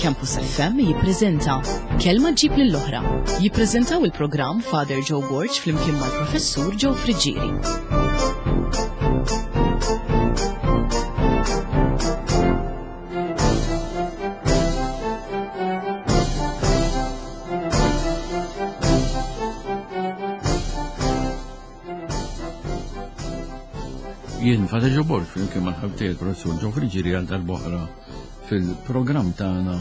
Campus FM jippreżenta Kelma ġib lill-oħra. Jippreżentaw il-programm Father Joe Borg flimkien mal-Professur Joe Friggieri. Jien Father Joe Borg flimkien mal-ħabtiej il-Professur Joe Friggieri għal darb'oħra fil-programm tagħna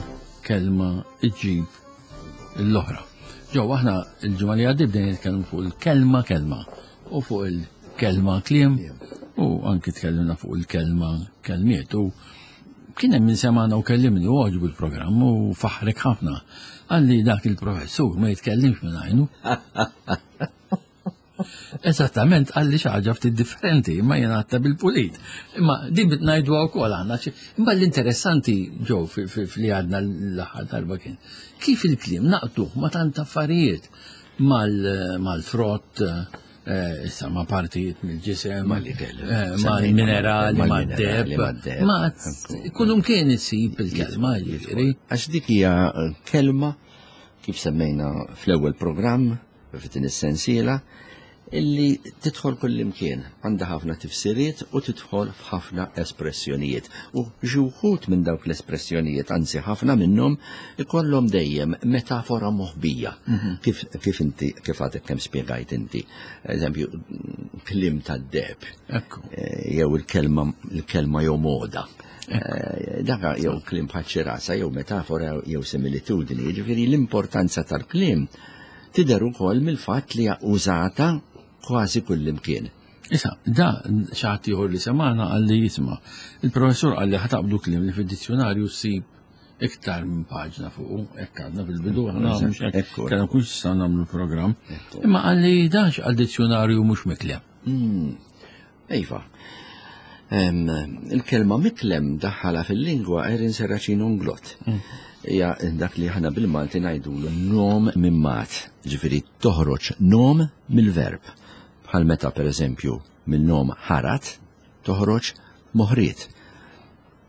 Kelma Iġġib l-oħra. Ġew aħna il-ġimgħa li għaddiet bdejna nitkellmu fuq il-kelma kelma u fuq il-kelma kliem u anki tkellimna fuq il-kelma kelmiet u kien hemm min semana u kellimni u għoġbu l-programm u faħrek ħafna. Għalli dak il-professur ma jitkellimx minn għajnu. Eżattament għalli xi ħaġa ftit differenti, imma jien għadta bil-pulit. Imma din bit ngħidu wkoll għandna. Imma l-interessanti ġew li għadna l-aħħar darba kien kif il-kliem naqtuh ma tant affarijiet mal-frott, eh, issa ma partijiet mill-ġisem, eh, mal-minerali, mad-deb, ma kullum kien isib il-kelma jiġifieri. Għax dik hija kelma kif semmejna fl-ewwel programm f'din is-sensiela illi tidħol kullimkien, għandha ħafna tifsiriet u tidħol f'ħafna espressjonijiet. U xi wħud minn dawk l-espressjonijiet, anzi ħafna minnhom, ikollhom dejjem metafora moħbija. Mhm. Kif, kif inti kif għadek kemm spjegajt inti. Eżempju, kliem tad-deb. Eh, jew il-kelma il-kelma jew moda. Eh, daka jew kliem bħal ċirasa jew metafora jew similitudni. Jiġifieri l-importanza tal-kliem tidher ukoll mill-fatt li hija użata kważi kullimkien. Issa, da xi ħadd ieħor li semagħna qalli jisma' il-professur qalli ħa taqbdu kliem li fid-dizzjonarju ssib iktar minn paġna fuqu, hekk għadna fil-bidu aħna mhux hekk kellna kull sa nagħmlu programm. Imma qalli dax għal dizzjonarju mhux miklem. Hmm. Iva. Il-kelma miklem daħħala fil-lingwa Erin Serracin Unglot. Mm. Hija dak li aħna bil-Malti ngħidulu nom minn mat, ġifieri toħroġ nom mill-verb. Bħal meta pereżempju minn nom ħarat toħroġ moħriet.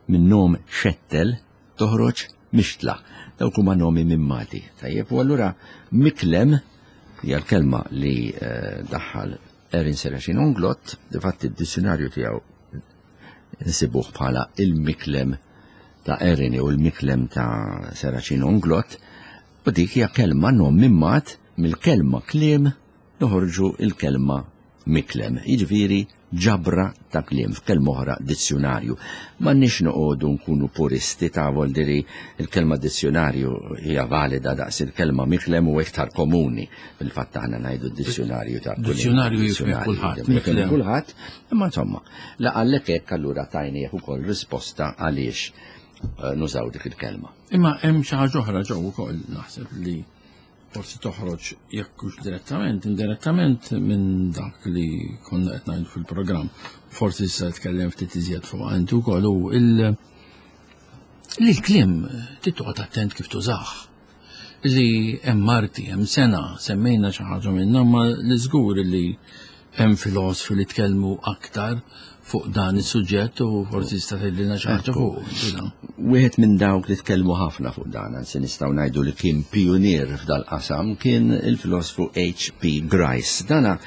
Minn nom xettel toħroġ mixtla. Dawk huma nomi mimmati. Tajjeb, u allura miklem hija l-kelma li eh, daħħal Erin Serafin Unglot, difatti d-dizzjonarju tiegħu nsibuh bħala il-miklem ta' Erin u l-miklem ta' Serafin Unglot, u dik hija kelma nom mimmat mill-kelma kliem noħorġu il-kelma miklem, jiġifieri ġabra ta' kliem, f'kelma oħra dizzjonarju. M'għandniex noqogħdu nkunu puristi ta' voldiri il-kelma dizzjonarju hija valida daqs il-kelma miklem u iktar komuni. Fil-fatt aħna ngħidu dizzjonarju ta' Dizzjonarju jifhem kulħadd. Jifhem kulħadd, imma insomma, la għallek hekk allura tajni ukoll risposta għaliex eh, nużaw dik il-kelma. Imma hemm xi ħaġa oħra ġew ukoll naħseb li forsi toħroġ jekk hux direttament, indirettament minn dak li konna qed ngħidu fil-programm. Forsi issa tkellem ftit iżjed fuq inti wkoll u il li l-kliem trid toqgħod attent kif tużah. Li hemm marti, hemm sena, semmejna xi ħaġa minnha, ma li żgur li hemm filosfi li tkellmu aktar fuq dan is-suġġett u forsi tista' tgħidilna xi ħaġa fuq. Wieħed minn dawk li tkellmu ħafna fuq dan, anzi nistgħu ngħidu li kien pionier f'dal-qasam kien il-filosfu H.P. Grice. Dana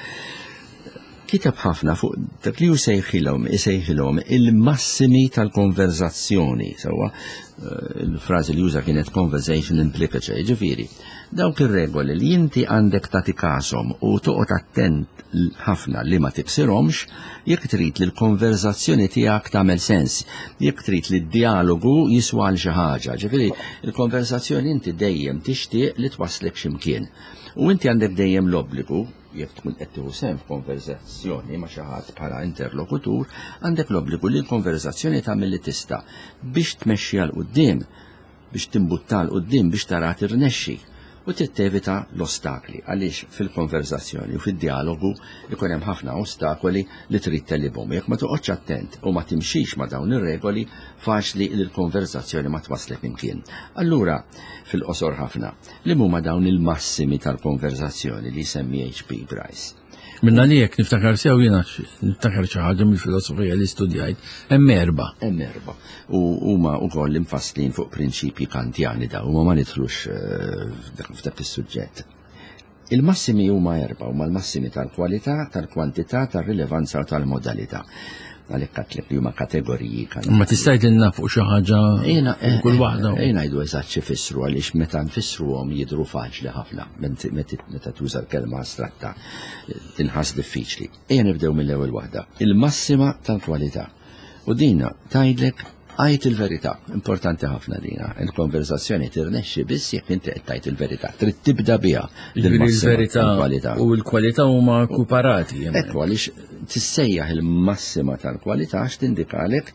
kiteb ħafna fuq dak li hu sejħilhom isejħilhom il-massimi tal-konverzazzjoni, sewwa eh, il-frażi li juża kienet conversation implicature, ġifieri, dawk ir-regoli li inti għandek tagħti każhom u toqgħod attent ħafna li ma tiksirhomx jekk trid li l-konverzazzjoni tiegħek tagħmel sens, jekk trid li d-dialogu jiswa għal xi ħaġa. Ġifieri, il-konverzazzjoni inti dejjem tixtieq li twasslek x'imkien. U inti għandek dejjem l-obbligu, jekk tkun qed tieħu sehem f'konverzazzjoni ma' xi ħadd bħala interlokutur, għandek l-obbligu li l-konverzazzjoni tagħmel li tista' biex tmexxi għal quddiem biex timbutta 'l quddiem biex taraha tirnexxi u trid tevita l-ostakli għaliex fil-konverżazzjoni u fid-djalogu jkun hemm ħafna ostakoli li trid tegħlibhom. Jekk ma toqgħodx attent u ma timxix ma' dawn ir-regoli, faċli li l-konverżazzjoni ma twasslek imkien. Allura, fil-qosor ħafna, liema huma dawn il-massimi tal-konverżazzjoni li jsemmi HP Bryce? Minna li jekk niftakar sew jiena niftakar xi ħaġa mill-filosofija li studjajt, hemm erba. Hemm erba. U huma wkoll imfasslin fuq prinċipji kantjani daw, ma ma nidħlux eh, f'dak is-suġġett. Il-massimi huma erba, huma l-massimi tal-kwalità, tal-kwantità, tar-rilevanza u tal-modalità. Għalhekk għatlek li huma kategoriji kan. Ma tista' jgħidilna fuq xi ħaġa kull waħda. Ejna ngħidu eżatt xi fissru għaliex meta nfissruhom jidhru faċli ħafna meta tuża l-kelma astratta tinħass diffiċli. Ejja nibdew mill-ewwel waħda. Il-massima tal-kwalità. U dina tgħidlek għid il-verità. Importanti ħafna dina. Il-konversazzjoni tirnexxi biss jekk inti qed tgħid il-verità. Trid tibda biha. Il-verità u l-kwalità huma kuparati. Ekku għaliex tissejjaħ il-massima tal-kwalità għax tindikalek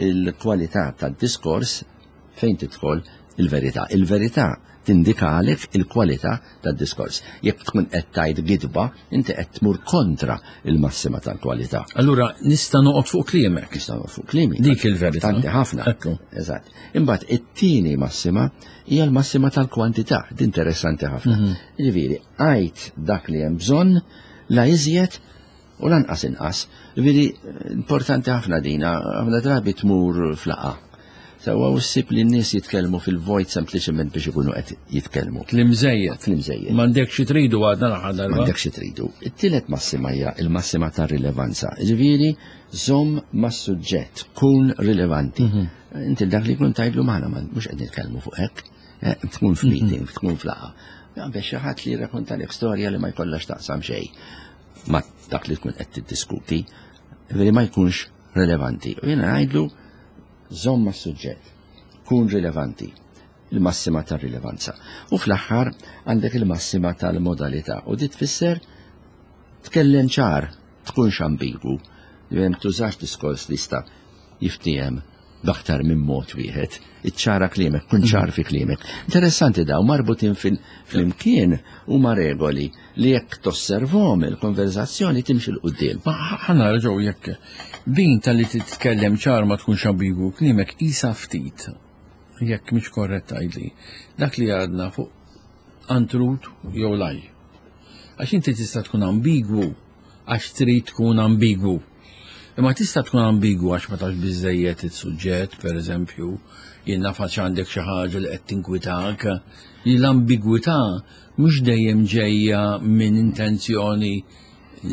il-kwalità tad-diskors fejn tidħol il-verità. Il-verità tindikalek il-kwalità tad-diskors. Jekk tkun qed tgħid gidba, inti qed tmur kontra il-massima tal-kwalità. Allura nista' noqgħod fuq kliemek. Nista' noqgħod fuq kliemi. Dik il-verità. Tanti ħafna. Ekku. Eżatt. Imbagħad it-tieni massima hija l-massima tal-kwantità, din interessanti ħafna. Mhm. Jiġifieri, għid dak li hemm bżonn la iżjed u lanqas inqas. Ġifieri importanti ħafna dina, ħafna drabi tmur flaqa. Sewwa u ssib li n-nies jitkellmu fil-vojt sempliċement biex ikunu qed jitkellmu. Kliem żejjed. Kliem żejjed. M'għandek xi tridu għadna l-aħħar darba. M'għandek xi tridu. It-tielet massima hija il-massima ta' rilevanza. Ġifieri żomm mas-suġġett, kun rilevanti. Mhm. Inti dak li jkun tgħidlu magħna mhux qed nitkellmu fuq hekk. Eh, tkun f'meeting, mhm. tkun f'laqa. Biex xi ħadd li jirrakontalek storja li ma jkollhax taqsam xejn ma dak li tkun qed tiddiskuti, li ma jkunx rilevanti. U jiena ngħidlu żomm mas-suġġett, kun rilevanti, il-massima tar-rilevanza. U fl-aħħar għandek il-massima tal-modalità u di tfisser tkellem ċar, tkunx ambigu, li tużax diskors li jista' jiftiehem b'aktar minn mod wieħed. Iċċara kliemek, kun ċar fi kliemek. Interessanti daw marbutin fl-imkien huma regoli li jekk tosservhom il-konverzazzjoni timxi 'l quddiem. Ma ħa nara ġew jekk din tal-li titkellem ċar ma tkunx ambigu kliemek isa ftit jekk mhix korretta tgħidli dak li għadna fuq untruth jew lie. Għax inti tista' tkun ambigwu għax trid tkun ambigwu. Imma tista' tkun ambigwu għax ma tafx biżejjed is-suġġett, per eżempju, jien naf għax għandek xi ħaġa li qed tinkwitak, li l-ambigwità mhux dejjem ġejja minn intenzjoni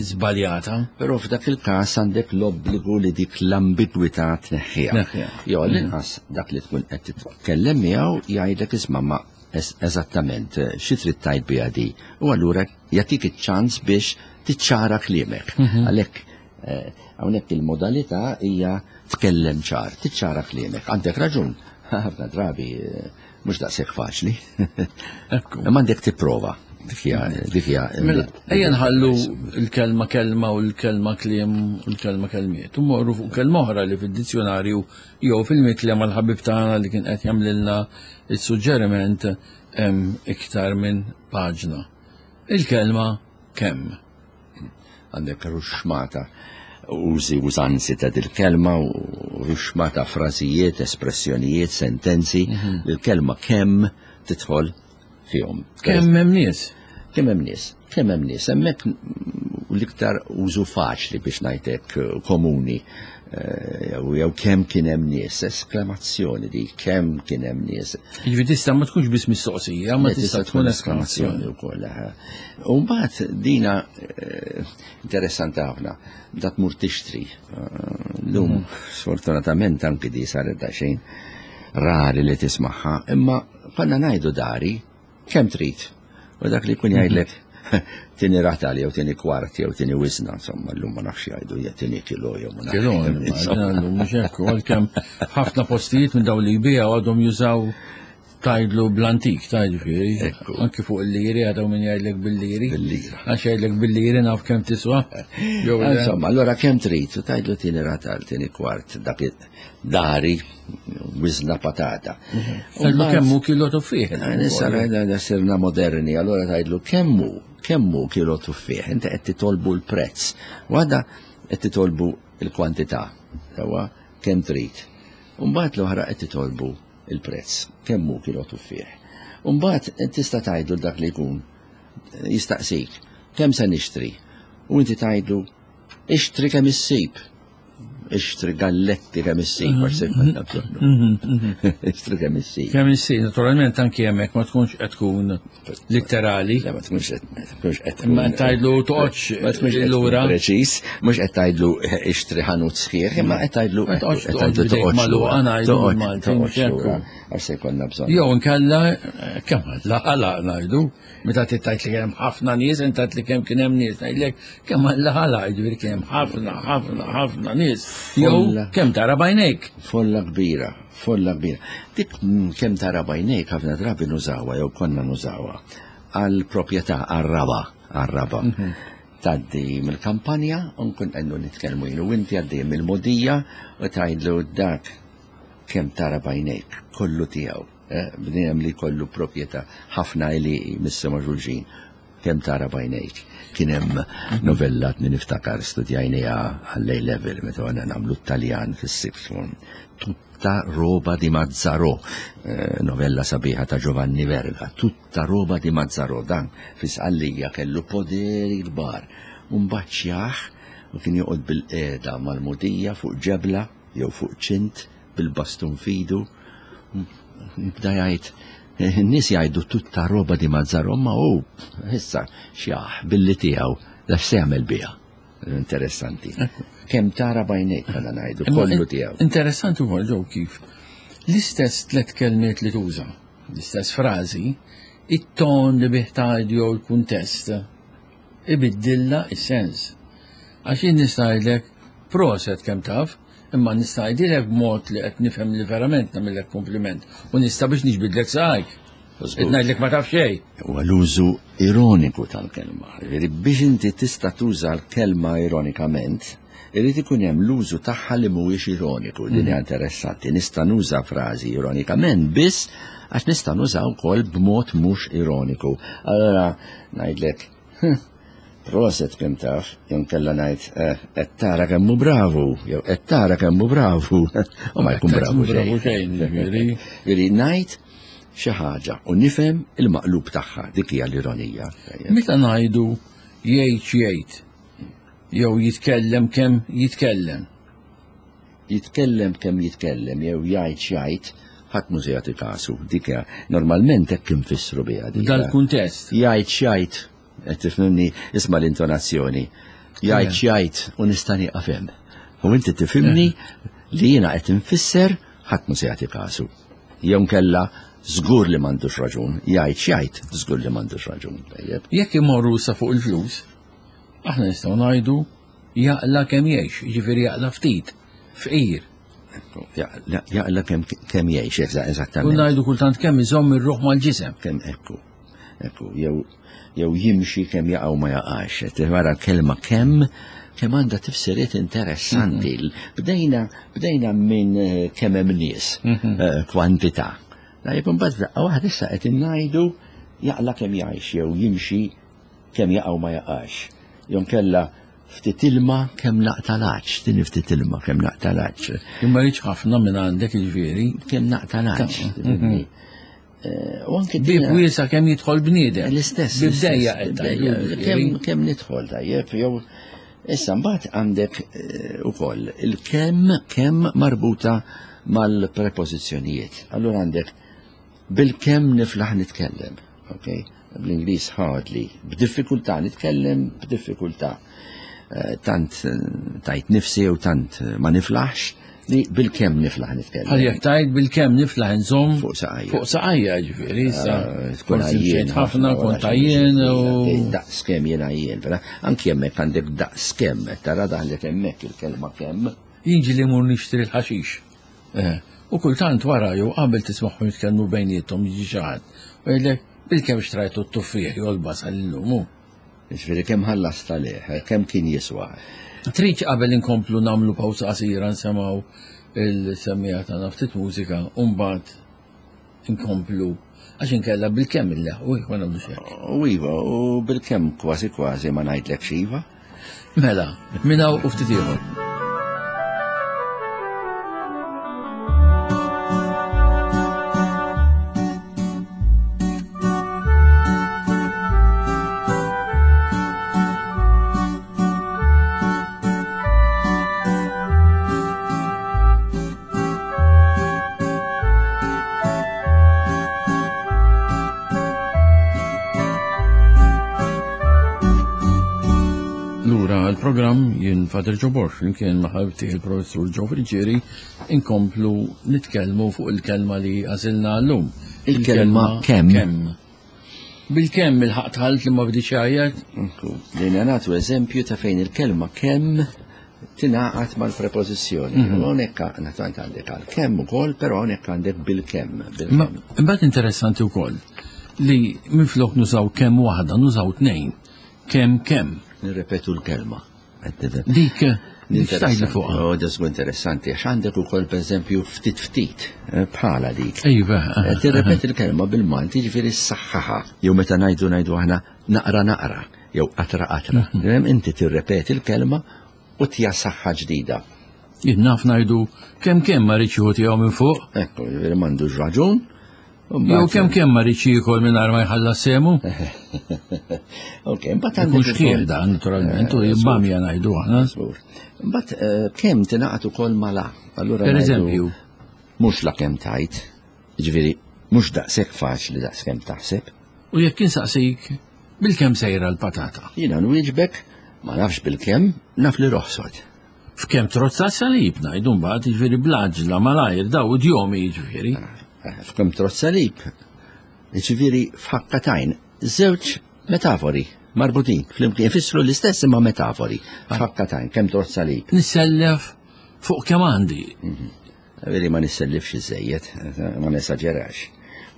żbaljata. Però f'dak il-każ għandek l-obbligu li dik l-ambigwità tneħħiha. Jew l-inqas dak li tkun qed titkellem miegħu jgħidlek isma' ma eżattament xi trid tgħid biha di. U allura jagħtik iċ-ċans biex tiċċara kliemek. Mhm. Għalhekk eh, hawnhekk il-modalità hija tkellem ċar, tiċċara kliemek. Għandek raġun, ħafna drabi eh, mhux daqshekk faċli. Imma għandek tipprova. Dik hija. Mela, ejja nħallu l-kelma kelma u l-kelma kliem u l-kelma kelmiet. U morru fuq kelma oħra li fid-dizzjonarju jew fil-mitli mal-ħabib tagħna li kien qed jagħmlilna is-suġġeriment hemm iktar minn paġna. Il-kelma kemm. Għandek ruxmata użi użanzi ta' dil-kelma u ruxmata frażijiet, espressjonijiet, sentenzi, mhm. il-kelma kemm tidħol fihom. Kemm hemm nies? Kemm hemm nies? Kemm hemm nies? Hemmhekk l-iktar użu faċli biex ngħidlek eh, komuni eh, jew kemm kien hemm nies, esklamazzjoni di kemm kien hemm nies. Jiġifieri tista' ma tkunx biss mistoqsija, ma tista' tkun esklamazzjoni wkoll. Eh. U mbagħad dina interessanti ħafna, da tmur tixtri. Lum mhm. sfortunatament anki di saret daqsxejn rari li tismagħha, imma konna ngħidu dari kemm trid. U dak li jkun jgħidlek tini ratal jew tini kwart jew tini wisna, insomma, llum ma nafx jgħidu jew tini kilo jew ma nafx. Kilo, llum mhux hekk, għalkemm ħafna postijiet minn dawn li jbigħu għadhom jużaw tajdlu bl-antik, tajdu Anki fuq il-liri, għadaw minn jgħidlek bil-liri. Bil-lira. Għax jgħidlek bil-liri naf kemm tiswa. Insomma, allora kemm trid, u tajdlu tini ratal, tini kwart, dak dari, wizna patata. Tajdu kemmu kilo tuffieħ. Nissa sirna moderni, allora tajdlu kemmu, kemmu kilo tuffieħ, inti qed titolbu l-prezz. Għada qed titolbu l-kwantità, sewa kemm trid. Umbagħad l-oħra qed titolbu il-prezz, kemmu kilo tuffieħ. Umbagħad tista' tgħidlu dak li jkun jistaqsik, kemm se nixtri? U inti tgħidlu ixtri kemm issib. Ixtri galletti kemm issib, forsi konna bżonnu. Ixtri kemm issib. Kemm issib, naturalment anki hemmhekk ma tkunx qed tkun litterali. Le, ma tkunx qed ma tkunx qed Imma tgħidlu toqgħodx ma tkunx qed tkun lura. preċiż, mhux qed tgħidlu ixtri ħanut sħiħ, imma qed tgħidlu Ma toqgħodx qed tgħidlu toqgħod bidejk magħluqa, ngħidu toqgħodx bil-Malti, toqgħodx mhux hekk. lura, għax se jkollna bżonn. Jew inkella kemm Alla ħalaq ngħidu, meta tgħid li kien hemm ħafna nies, inti tgħid li kemm kien hemm nies, ngħidlek kemm Alla ħalaq, jiġifieri kien hemm ħafna, ħafna, ħafna nies. Jew Folla. kemm tara b'għajnejk. Folla kbira, folla kbira. Dik kemm tara b'għajnejk ħafna drabi nużawha jew konna nużawha għal proprjetà għar-raba, għar-raba. Tgħaddi mill-kampanja u nkun qegħdu nitkellmu jien u inti għaddej mill-mogħdija u tgħidlu dak kemm tara b'għajnejk, kollu tiegħu. Bniedem li kollu proprjetà ħafna għelieqi missu ma' xulxin, kemm tara b'għajnejk. Kien hemm novella li niftakar studjajniha għall-A level meta konna nagħmlu t-Taljan fis-sixth form. Tutta roba di Mazzarò, novella sabiħa ta' Giovanni Verga, Tutta roba di Mazzarò, dan fi Sqallija kellu poderi kbar. U mbagħad xjaħ u kien joqgħod bil-qiegħda mal-mogħdija fuq ġebla jew fuq ċint bil-bastun f'idu, jibda jgħid, in-nies jgħidu tutta roba di Mazzarò, ma hu issa xjaħ billi tiegħu, da x'se jagħmel biha? Interessanti. Kemm tara b'għajnejk bħala ngħidu, kollu tiegħu. Interessanti wkoll ġew kif l-istess tliet kelmiet li tuża, l-istess frażi, it-ton li bih tgħidu jew il-kuntest ibiddilha s-sens. Għax jien nista' ngħidlek proset kemm taf, imma nista' ngħidilek b'mod li qed nifhem li verament nagħmillek kompliment u nista' biex niġbidlek saqajk. Qed ngħidlek ma taf xejn. Huwa l-użu ironiku tal-kelma. Jiġifieri biex inti tista' tuża l-kelma ironikament, irid ikun hemm l-użu tagħha li mhuwiex ironiku. Din hija interessanti. Nista' nuża frażi ironikament biss għax nista' nuża wkoll b'mod mhux ironiku. Allora ngħidlek, proset kemm taf, jew nkella ngħid qed tara kemm hu bravu, jew qed tara kemm hu bravu, u ma jkun bravu xejn. Ġifieri. Ġifieri ngħid xi ħaġa u nifhem il-maqlub tagħha, dik hija l-ironija. Meta ngħidu jgħid x'jgħid, jew jitkellem kemm jitkellem. Jitkellem kemm jitkellem jew jgħid x'jgħid, ħadd mhu se jagħti kasu. Dik hija normalment hekk infissru biha dik. Dal-kuntest. Jgħid x'jgħid, qed tifhimni, isma' l-intonazzjoni. Jgħid x'jgħid u nista' nieqaf hemm. U inti tifhimni li jiena qed infisser ħadd mhu se jagħti kasu. Jew nkella żgur li m'għandux raġun, jgħid x'jgħid, żgur li m'għandux raġun. Tajjeb. Jekk imorru sa fuq il-flus, aħna nistgħu ngħidu jaqla kemm jgħix, jiġifieri jaqla ftit, fqir. Jaqla kemm jgħix, eżattament. U ngħidu kultant kemm iżomm ir-ruħ mal-ġisem. Kemm ekku, ekku, jew jimxi kemm jaqgħu ma jaqax. Wara l-kelma kemm, kemm għandha tifsiriet interessanti. Bdejna minn kemm hemm nies, kwantità. Tajjeb, imbagħad f'daqqa waħda issa qed ngħidu jaqla kemm jgħix jew jimxi kemm jaqgħu ma jaqax. Jew nkella ftit ilma kemm naqta' l-għatx, din ftit ilma kemm naqta' l-għatx. Imma rridx ħafna minn għandek jiġifieri. Kemm naqta' l-għatx. U anke Bib wiesa' kemm jidħol bniedem. L-istess, Bib dejja l-istess, qed dejja. tgħidu, jiġifieri. Kemm nidħol tajjeb, jew issa mbagħad għandek ukoll il-kemm kemm marbuta mal-prepożizzjonijiet. Allura għandek bil-kemm niflaħ nitkellem, ok? Bl-Ingliż hardly, b'diffikultà nitkellem, b'diffikultà. Tant tajt nifsi u tant ma niflaħx li bil-kemm niflaħ nitkellem. Għal jekk tajt bil-kemm niflaħ nżomm fuq saqajja. Fuq saqajja, ġifieri, issa Tkun forsi għajjien mxejt ħafna, ħafna, kont wara xi għajjien ġifieri, u għaddej daqs kemm jien għajjien, vera? Anki hemmhekk għandek daqs kemm, tara daħlet hemmhekk il-kelma kemm. Jien ġieli mmur nixtri l-ħaxix. U kultant wara jew qabel tismagħhom jitkellmu bejniethom jiġi xi ħadd u jgħidlek bil-kemm xtrajtu t-tuffieħ jew l-basal illum hu. Jiġifieri kemm ħallast għalih, kemm kien jiswa. Trid qabel inkomplu nagħmlu pawsa qasira nsemgħu il-semmiegħa tagħna ftit mużika u mbagħad inkomplu għax inkella bil-kemm illeħqu jekk ma nagħmlux hekk. U iva, u bil-kemm kważi kważi ma ngħidlekx iva. Mela, minn hawn u ftit ieħor. il-programm jien Father Joe Borg flimkien ma' ħabibti il-Professur Joe Friggieri inkomplu nitkellmu fuq il-kelma li għażilna llum. Il-kelma kemm. Kemm. Bil-kemm il-ħaq tħalt li ma bdiċ jgħajjat. Lejna nagħtu eżempju ta' fejn il-kelma kemm tingħaqad mal-prepożizzjoni. Mhm. Hawnhekk naturalment għandek għal kemm ukoll, però hawnhekk għandek bil-kemm. Imbagħad interessanti wkoll li minflok nużaw kemm waħda, nużaw tnejn. Kemm kemm. Nirrepetu l-kelma. Dik Interessanti fuq. Oh, da interessanti, għax għandek ukoll pereżempju ftit ftit eh, bħala dik. Iva. Eh, tirrepeti l-kelma bil-Malti ġifieri s-saħħaħa. Jew meta ngħidu ngħidu aħna naqra naqra jew qatra qatra. Mhm. Inti tirrepeti l-kelma u tija saħħa ġdida. Jien naf ngħidu kemm kemm ma rridx jieħu tiegħu minn fuq. Ekku, ġifieri m'għandux raġun. Jew kemm kemm ma rridx jiekol mingħajr ma jħallas semu. Ok, imbagħad għandek xħieħ dan naturalment u jibbamja ngħidu aħna. Imbagħad eh, kemm tingħaqad ukoll mala. Allura per eżempju, mhux la kemm tajt, ġifieri mhux daqshekk faċli daqs kemm taħseb. U jekk insaqsik bil-kemm sejra l-patata? Jiena nwieġbek ma nafx bil-kemm, naf li roħsot. F'kemm trozza salib ngħidu mbagħad jiġifieri bl-għaġla malajr daw idjomi jiġifieri. Eh, f'kemm trozza salib, jiġifieri f'ħakkatajn, żewġ metafori marbutin flimkien ifissru l-istess imma metafori. F'ħakkatajn, kemm trozza salib. Nissellef fuq kemm għandi. Mhm. Veri ma nissellifx iżejjed, ma nesaġerax.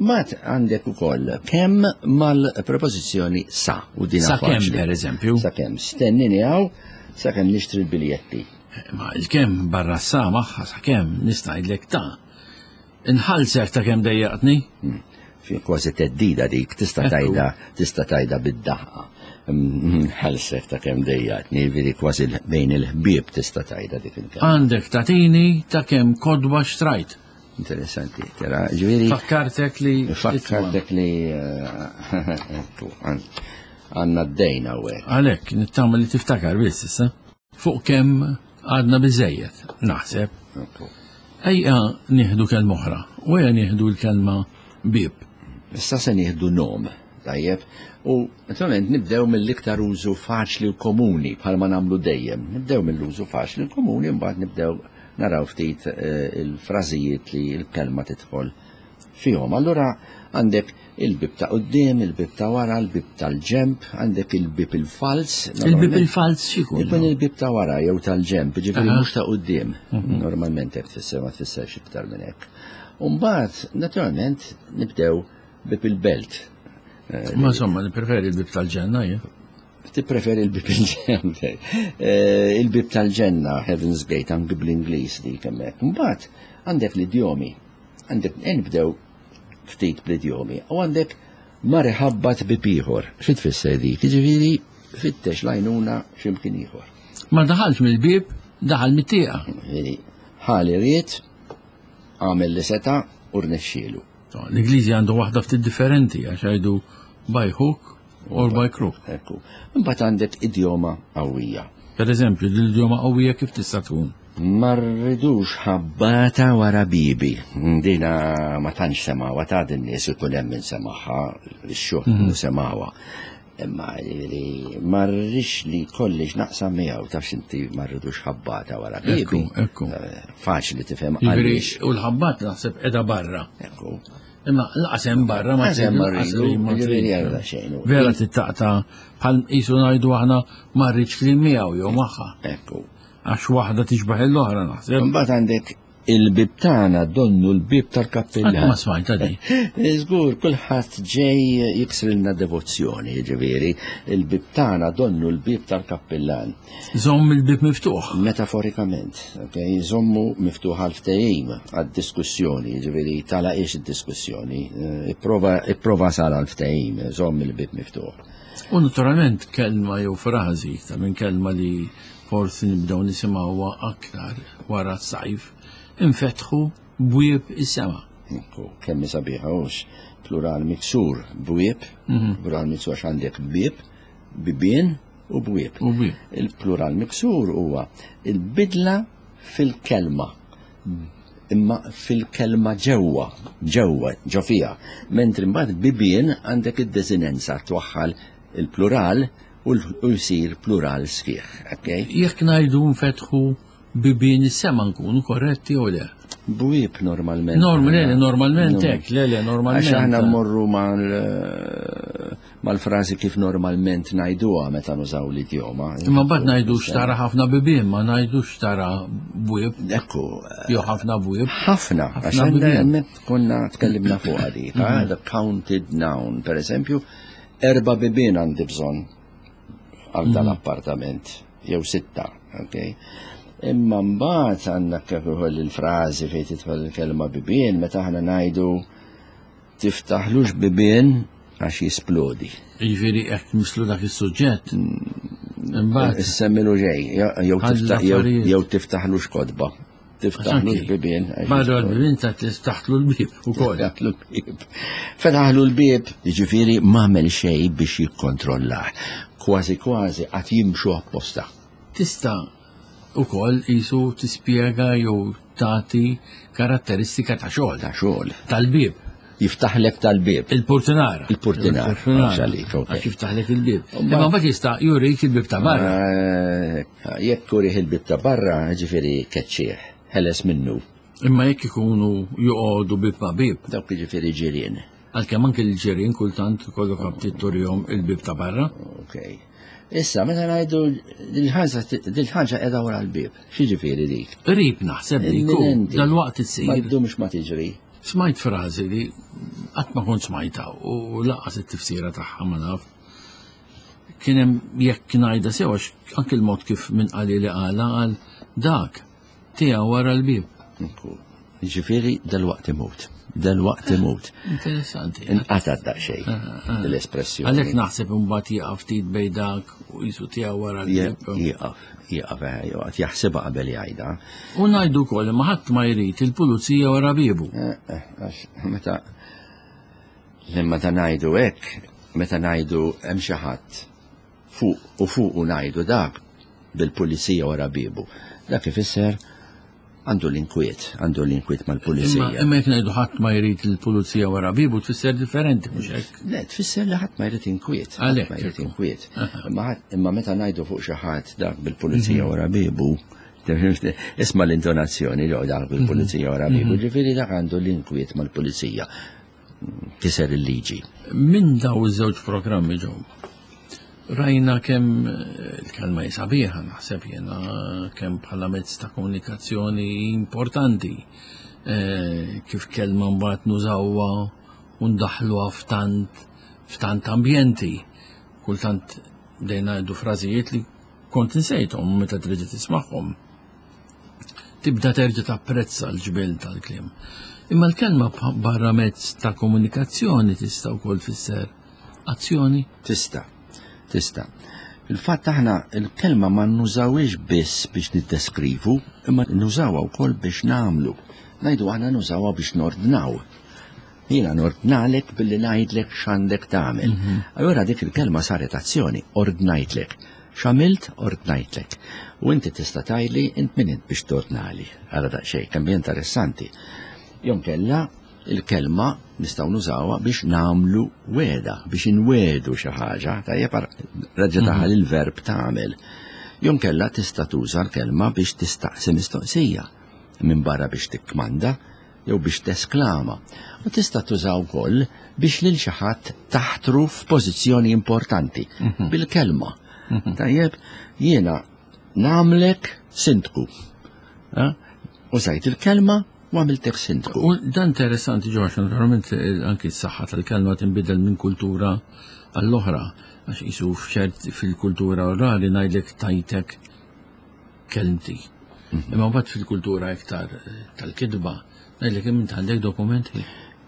Mat għandek ukoll kemm mal-prepożizzjoni sa u din Sa kemm per eżempju. Sa kemm stennini hawn sa kemm nixtri l-biljetti. Ma il-kemm barra sa magħha sa kemm nista' ngħidlek ta' inħallsek ta' kemm dejjaqtni. Hmm. Fi kważi teddida dik tista' tajda tista' tajda bid-daħqa. Hmm, ħallsek ta' kemm dejjaqtni, veri kważi bejn il-ħbieb tista' tajda dik il-kelma. Għandek tatini ta' kemm kodba xtrajt. Interessanti, tera, ġviri. Fakkartek li. Fakkartek li. Eh, għanna d-dejna u Għalek, nittama li tiftakar biss issa. Fuq kemm għadna biżejjed, naħseb. Ejja nieħdu kelma oħra, u ejja nieħdu l-kelma bib. Issa se nieħdu nom, tajjeb, u naturalment nibdew mill-iktar użu faċli u komuni bħalma nagħmlu dejjem. Nibdew mill-użu faċli u komuni mbagħad nibdew naraw ftit eh, il-frażijiet li l-kelma tidħol fihom. Allura għandek il-bib ta' quddiem, il-bib ta' wara, il-bib tal-ġemp, għandek il-bib il-fals. Il-bib il-fals xikun? Ikun il-bib ta' wara jew tal-ġemp, ġifieri mhux ta' quddiem. Mhm. Normalment hekk tfisser ma tfisserx iktar minn hekk. Umbagħad, naturalment, nibdew bib il-belt. Eh, ma insomma, nippreferi il-bib tal-ġenna jien. Tippreferi il-bib il-ġenna. Eh, il-bib tal-ġenna, Heaven's Gate, anki bl-Ingliż dik hemmhekk. Mbagħad għandek l-idjomi. Għandek nibdew ftit bl-idjomi. U għandek mar iħabbat bib ieħor. Xi tfisser dik? Jiġifieri fittex l-għajnuna x'imkien ieħor. Ma daħalx mill-bib, daħal mit-tieqa. Ħali ried, għamel li seta' u rnexxielu. L-Ingliżi għandu waħda ftit differenti għax jgħidu by hook or by crook. Ekku. Imbagħad għandek idjoma qawwija. Per eżempju, l-idjoma qawwija kif tista' tkun? Ma rridux ħabbata wara bibi. Dina ma tantx semgħuha ta' din nies ikun hemm min semagħha, ix-xogħol mhm. semgħuha. Imma li ma rridx li kollix naqsam miegħu tafx inti ma rridux ħabbata wara bibi. Ekku. Eh, faċli tifhem għaliex. U l-ħabbat naħseb qiegħda barra. Ekku. Imma laqas hemm barra ma hemm barra xejn. Vera tittaqta bħal qisu ngħidu aħna ma rridx kliem miegħu jew magħha. Ekku. Għax waħda tixbaħ l-oħra naħseb. Imbagħad għandek il-bib tagħna donnu l-bib tal-kappilla. Ma smajta di. Żgur, kulħadd ġej jiksrilna devozzjoni, ġifieri, il-bib tagħna donnu l-bib tal-kappillan. Żomm il-bib miftuħ. Metaforikament, ok, żommu miftuħ għal ftehim għad-diskussjoni, ġifieri tagħlaqiex id-diskussjoni, eh, ipprova ipprova sal għal ftehim, żomm il-bib miftuħ. U naturalment kelma jew frażi ta' minn kelma li forsi nibdew nisimgħuha aktar wara s-sajf, infetħu bwieb is-sema. Ekku, kemm sabiħa hux plural miksur bwieb, mhm. plural miksur għax għandek bieb, bibien u bwieb. Il-plural miksur huwa il-bidla fil-kelma imma fil-kelma ġewwa, ġewwa, ġo fiha. Mentri mbagħad bibien għandek id-desinenza twaħħal il-plural. u jsir plural sħiħ. Okay? Jekk ngħidu nfetħu bibien is-sema nkunu korretti jew le? Bwieb normalment. Norm, le, le, normalment hekk, le, le, normalment. Għax aħna mmorru mal-frażi kif normalment ngħiduha meta nużaw l-idjoma. Imma mbagħad ngħidu xtara ħafna bibien, ma ngħidu xtara bwieb. Ekku. Jew ħafna bwieb. Ħafna, għax hemmhekk konna tkellimna fuq dik, the counted noun, per eżempju, erba' bibien għandi bżonn għal dal-appartament, jew 6, ok? Imma mbagħad għandna kif ukoll il-frażi fejn tidħol il-kelma bibien meta aħna ngħidu tiftaħlux bibien għax jisplodi. Jiġifieri hekk mislu dak is-suġġett. Imbagħad Issemmilu ġej, jew tiftaħlux kotba. Tiftaħlux bibien. Barra l-bibien ta' tiftaħlu l-bieb ukoll. Tiftaħlu l-bieb. Fetaħlu l-bieb, jiġifieri m'għamel xejn biex jikkontrollah. Kważi kważi qatt jimxu apposta. Tista' ukoll qisu tispjega jew tagħti karatteristika ta' xogħol. Ta' xogħol. Tal-bieb. Jiftaħlek tal-bieb. Il-portinara. Il-portinara. Il-portinara. Għalik, ok. Għax jiftaħlek il-bieb. Imma mbagħad jista' jurik il-bieb ta' barra. Jekk urih il-bieb ta' barra, ġifieri keċċieħ, ħeles minnu. Imma jekk ikunu joqogħdu bieb ma' bieb. Dawk jiġifieri ġirien. Għalkemm anke l-ġirien kultant ikollok aptit turihom il-bieb ta' barra. Ok. Issa, meta ngħidu dil-ħaġa qiegħda wara l-bieb, x'jiġifieri dik? Qrib naħseb li jkun Imminenti. dal-waqt issir. Ma ddumx ma tiġri. Smajt frażi li qatt ma kont smajtha u lanqas it-tifsira tagħha ma naf. Kien hemm jekk ngħidha sew għax anke l-mod kif min qali li qalha qal dak tiegħu wara l-bieb. Ekku. Jiġifieri dal-waqt imut. Dal-waqt imut. Interessanti. Inqata' daqsxejn l-espressjoni. Għalhekk naħseb imbagħad jieqaf ftit bejn dak u qisu tiegħu wara l-bieb. Jieqaf, jieqaf, joqgħod jaħsibha qabel jgħidha. U ngħidu wkoll imma ħadd ma jrid il-pulizija wara biebu. Għax meta meta ngħidu hekk, meta ngħidu hemm xi ħadd fuq u fuq u ngħidu dak bil-pulizija wara biebu. Dak ifisser għandu l-inkwiet, għandu l-inkwiet mal-pulizija. Imma jekk ngħidu ħadd ma jrid il-pulizija wara biebu tfisser differenti mhux hekk? Le, tfisser li ħadd ma jrid inkwiet, ħadd Għalhekk, ma jrid ekku. inkwiet. Imma meta ngħidu fuq xi ħadd dak bil-pulizija wara biebu, isma' l-intonazzjoni ġew dak bil-pulizija wara biebu, ġifieri dak għandu l-inkwiet mal-pulizija. Kiser il-liġi. Minn daw iż-żewġ programmi ġew. Rajna kemm il-kelma hi sabiħa, naħseb jiena kemm bħala mezz ta' komunikazzjoni importanti, kif kelma mbagħad nużawha u ndaħħluha f'tant ambjenti. Kultant bdejna ngħidu frażijiet li kont insejthom meta trid tismagħhom. Tibda terġa' tapprezza l-ġbel tal-kliem. Imma l-kelma barra mezz ta' komunikazzjoni tista' wkoll tfisser azzjoni? Tista', tista'. Fil-fatt aħna l-kelma ma nużawhiex biss biex niddeskrivu, imma nużawha wkoll biex nagħmlu. Ngħidu aħna nużawha biex nordnaw. Jiena nordnalek billi ngħidlek x'għandek tagħmel. Allura dik il-kelma saret azzjoni, ordnajtlek. X'għamilt, ordnajtlek. U inti tista' tgħidli int min int biex tordnali. Ara daqsxejn, kemm hi interessanti. Jew kella il-kelma nistgħu nużawha biex nagħmlu weda, biex inwedu xi ħaġa, tajjeb reġa' daħal il-verb tagħmel. Jew kella tista' tuża l-kelma biex tistaqsi mistoqsija, minn barra biex tikkmanda jew biex tesklama. U tista' tuża wkoll biex lil xi ħadd taħtru f'pożizzjoni importanti bil-kelma. Tajjeb, jiena nagħmlek sindku. Użajt il-kelma u għamiltek sindku. U dan interessanti ġo, għax naturalment anki s-saħħa tal-kelma tinbidel minn kultura għall-oħra, għax qisu f'ċert fil-kultura orali ngħidlek tajtek kelmti. Imma mbagħad fil-kultura iktar tal-kitba ngħidlek int għandek dokumenti.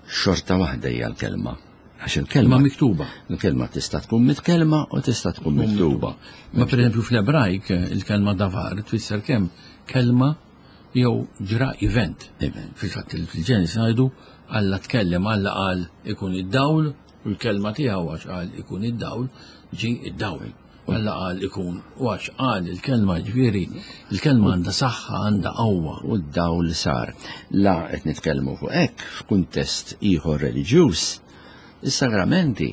Xorta waħda hija l-kelma. Għax il-kelma Ma miktuba. Il-kelma tista' tkun mitkellma u tista' tkun miktuba. Ma pereżempju fl-Ebrajk il-kelma davar tfisser kemm kelma jew ġra event. Event. Fil-fatt fil-Ġenesi ngħidu Alla tkellem, Alla qal ikun id-dawl u l-kelma tiegħu għax qal ikun id-dawl ġi id-dawl. Alla qal ikun u għax qal il-kelma, ġifieri il-kelma għandha saħħa, għandha qawwa. U d-dawl sar. La qed nitkellmu fuq hekk f'kuntest ieħor reliġjuż, is-sagramenti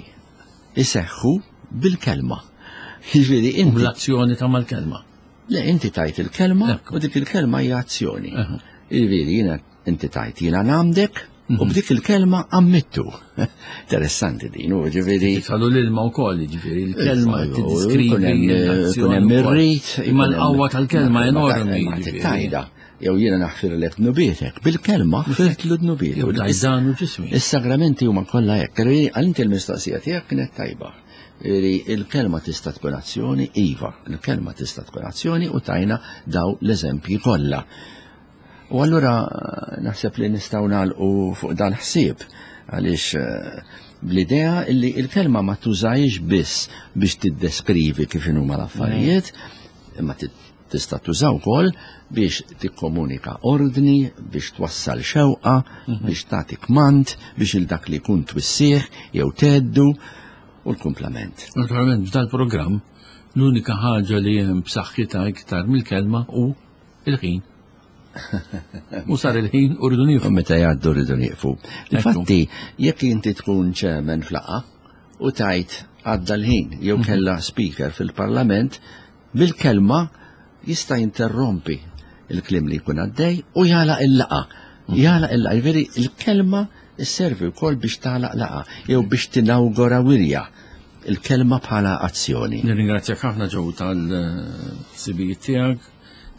iseħħu bil-kelma. Jiġifieri inti. L-azzjoni ta' mal-kelma. Le, inti tajt il-kelma u dik il-kelma hija azzjoni. Jiġifieri jiena inti tajt jiena nagħmdek u mhm. b'dik il-kelma ammettu. Interessanti din, u ġifieri. Salu l-ilma wkoll, ġifieri il-kelma tiddiskrivi l-azzjoni. Hemm ir-rit, imma l-qawwa tal-kelma enormi. Tajda jew jiena naħfirlek dnubietek, bil-kelma ħfirtlu dnubietu. Tajdan u ġismi. Is-sagramenti huma kollha hekk. Għal inti l-mistoqsija tiegħek kienet tajba. Li il-kelma tista' tkun azzjoni, iva, il-kelma tista' tkun azzjoni u tajna daw l-eżempji kollha. U allura naħseb li nistgħu nagħlqu fuq dan ħsieb għaliex eh, bl-idea li il-kelma ma tużajx biss biex tiddeskrivi kif inhuma l-affarijiet, imma tista' tuża wkoll biex tikkomunika ordni, biex twassal xewqa, mhm. biex tagħti kmand, biex il dak li jkun twissih jew teddu u l-kumplament. Naturalment f'dal-programm l-unika ħaġa li hemm b'saħħitha iktar mill-kelma hu il-ħin. U sar il-ħin u rridu nieqfu. Meta jgħaddu rridu nieqfu. Infatti, jekk inti tkun ċemen flaqa u tajt għadda l-ħin jew mhm. kella speaker fil-parlament, bil-kelma jista' jinterrompi il-kliem li jkun għaddej u jagħlaq il-laqgħa. Jagħlaq il-laqgħa, jiġifieri il-kelma sservi wkoll biex tagħlaq laqgħa jew biex tinawgura wirja il-kelma bħala azzjoni. Nirringrazzjak ħafna ġew tal-sibijiet tiegħek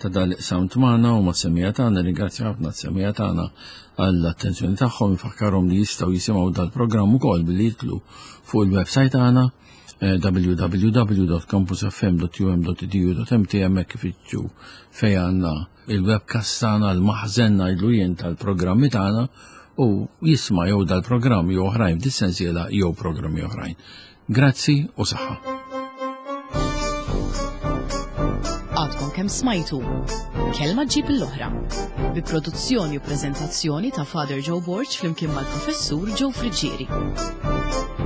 ta' dal-sound magħna u mas-semija tagħna, nirringrazzja ħafna s-semija tagħna għall-attenzjoni tagħhom, infakkarhom li jistgħu jisimgħu dal-programm ukoll billi jitlu fuq il-website tagħna eh, www.campusfm.um.edu.mt hemmhekk ifittxu fejn għandna il-webcast tagħna, l-maħżen ngħidlu jien tal-programmi tagħna u jisma' jew dal-programm jew oħrajn f'dis-sensiela jew programmi oħrajn. Grazzi u saħħa. Għadkom kemm smajtu Kelma ġib l-oħra bi produzzjoni u preżentazzjoni ta' Father Joe Borg flimkien mal-Professur Joe Friggieri.